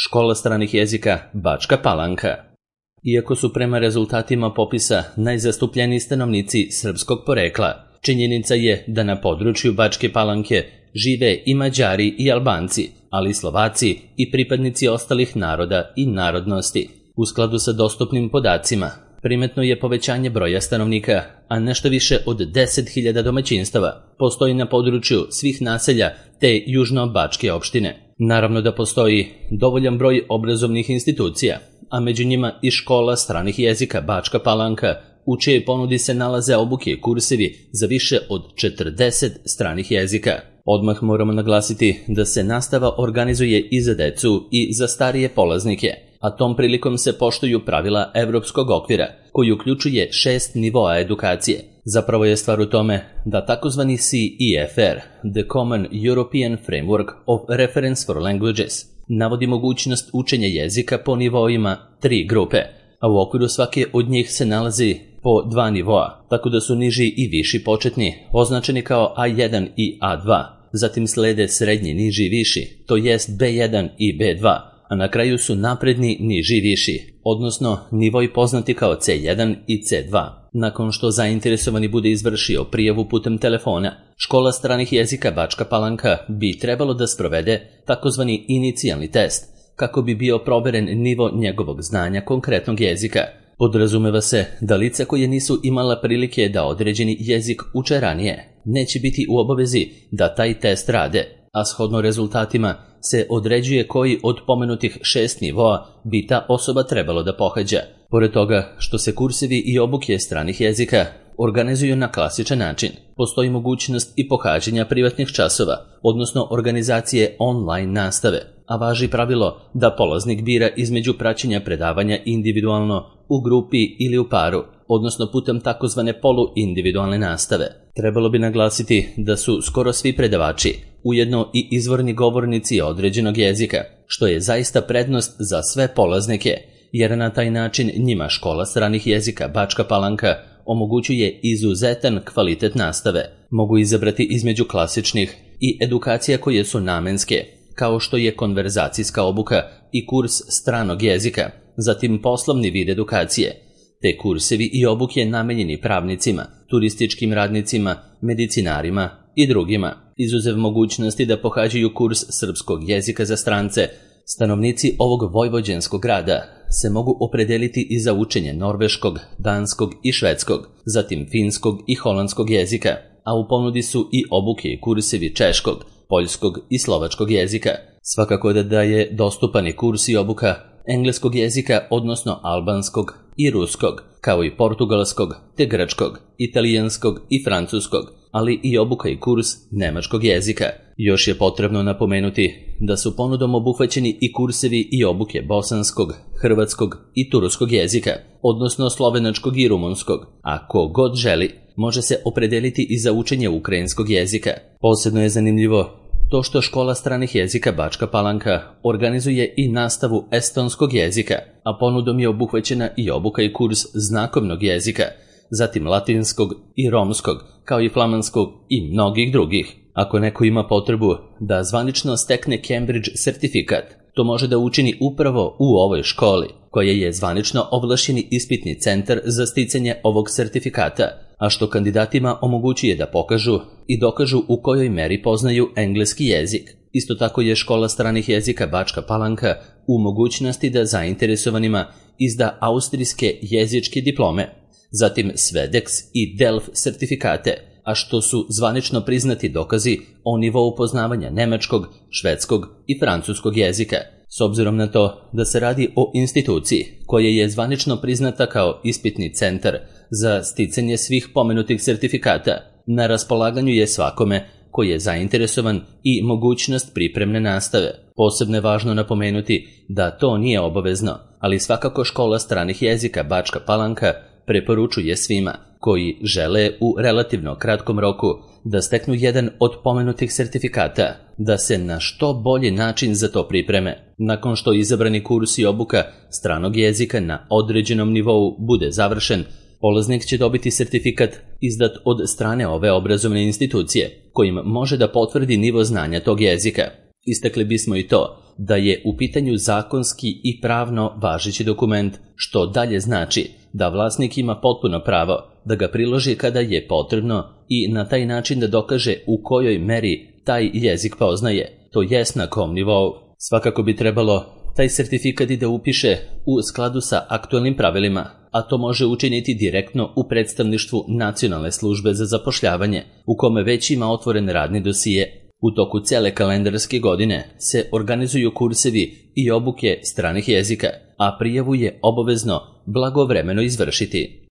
Škola stranih jezika Bačka Palanka. Iako su prema rezultatima popisa najzastupljeniji stanovnici srpskog porekla, činjenica je da na području Bačke Palanke žive i Mađari i Albanci, ali i Slovaci i pripadnici ostalih naroda i narodnosti. U skladu sa dostupnim podacima, primetno je povećanje broja stanovnika, a nešto više od 10.000 domaćinstava postoji na području svih naselja te južno-bačke opštine. Naravno da postoji dovoljan broj obrazovnih institucija, a među njima i škola stranih jezika Bačka Palanka, u čijoj ponudi se nalaze obuke i kursevi za više od 40 stranih jezika. Odmah moramo naglasiti da se nastava organizuje i za decu i za starije polaznike, a tom prilikom se poštuju pravila evropskog okvira, koji uključuje 6 nivoa edukacije. Zapravo je stvar u tome da takozvani CEFR, The Common European Framework of Reference for Languages, navodi mogućnost učenja jezika po nivoima 3 grupe, a u okviru svake od njih se nalazi po 2 nivoa, tako da su niži i viši početni označeni kao A1 i A2, zatim slede srednji, niži i viši, to jest B1 i B2, a na kraju su napredni, niži i viši, odnosno nivoi poznati kao C1 i C2. Nakon što zainteresovani bude izvršio prijavu putem telefona, škola stranih jezika Bačka Palanka bi trebalo da sprovede takozvani inicijalni test, kako bi bio proveren nivo njegovog znanja konkretnog jezika. Podrazumeva se da lica koje nisu imala prilike da određeni jezik uče ranije neće biti u obavezi da taj test rade, a shodno rezultatima se određuje koji od pomenutih 6 nivoa bi ta osoba trebalo da pohađa. Pored toga što se kursevi i obuke stranih jezika organizuju na klasičan način, postoji mogućnost i pohađanja privatnih časova, odnosno organizacije online nastave, a važi pravilo da polaznik bira između praćenja predavanja individualno, u grupi ili u paru, odnosno putem takozvane poluindividualne nastave. Trebalo bi naglasiti da su skoro svi predavači ujedno i izvorni govornici određenog jezika, što je zaista prednost za sve polaznike, jer na taj način njima škola stranih jezika Bačka Palanka omogućuje izuzetan kvalitet nastave. Mogu izabrati između klasičnih i edukacija koje su namenske, kao što je konverzacijska obuka i kurs stranog jezika, zatim poslovni vid edukacije, te kursevi i obuke namenjeni pravnicima, turističkim radnicima, medicinarima i drugima. Izuzev mogućnosti da pohađaju kurs srpskog jezika za strance, stanovnici ovog vojvođanskog grada se mogu opredeliti i za učenje norveškog, danskog i švedskog, zatim finskog i holandskog jezika, a u ponudi su i obuke i kursevi češkog, poljskog i slovačkog jezika. Svakako da je dostupan i kurs i obuka engleskog jezika, odnosno albanskog i ruskog, kao i portugalskog, te grčkog, italijanskog i francuskog, ali i obuka i kurs nemačkog jezika. Još je potrebno napomenuti da su ponudom obuhvaćeni i kursevi i obuke bosanskog, hrvatskog i turskog jezika, odnosno slovenačkog i rumunskog, a ko god želi može se opredeliti i za učenje ukrajinskog jezika. Posebno je zanimljivo to što škola stranih jezika Bačka Palanka organizuje i nastavu estonskog jezika, a ponudom je obuhvaćena i obuka i kurs znakovnog jezika, zatim latinskog i romskog, kao i flamanskog i mnogih drugih. Ako neko ima potrebu da zvanično stekne Cambridge sertifikat, to može da učini upravo u ovoj školi, koja je zvanično ovlašćeni ispitni centar za sticanje ovog sertifikata, a što kandidatima omogućuje da pokažu i dokažu u kojoj meri poznaju engleski jezik. Isto tako je škola stranih jezika Bačka Palanka u mogućnosti da zainteresovanima izda austrijske jezičke diplome, zatim Svedex i Delf sertifikate, a što su zvanično priznati dokazi o nivou poznavanja nemačkog, švedskog i francuskog jezika. S obzirom na to da se radi o instituciji koja je zvanično priznata kao ispitni centar za sticanje svih pomenutih sertifikata, na raspolaganju je svakome koji je zainteresovan i mogućnost pripremne nastave. Posebno je važno napomenuti da to nije obavezno, ali svakako škola stranih jezika Bačka Palanka preporučuje svima koji žele u relativno kratkom roku da steknu jedan od pomenutih sertifikata, da se na što bolji način za to pripreme. Nakon što izabrani kurs i obuka stranog jezika na određenom nivou bude završen, polaznik će dobiti sertifikat izdat od strane ove obrazovne institucije, kojim može da potvrdi nivo znanja tog jezika. Istakli bismo i to da je u pitanju zakonski i pravno važeći dokument, što dalje znači da vlasnik ima potpuno pravo da ga priloži kada je potrebno i na taj način da dokaže u kojoj meri taj jezik poznaje, to jest na kom nivou. Svakako bi trebalo taj sertifikat i da upiše u skladu sa aktualnim pravilima, a to može učiniti direktno u predstavništvu Nacionalne službe za zapošljavanje, u kome već ima otvoren radni dosije. U toku cele kalendarske godine se organizuju kursevi i obuke stranih jezika, a prijavu je obavezno blagovremeno izvršiti.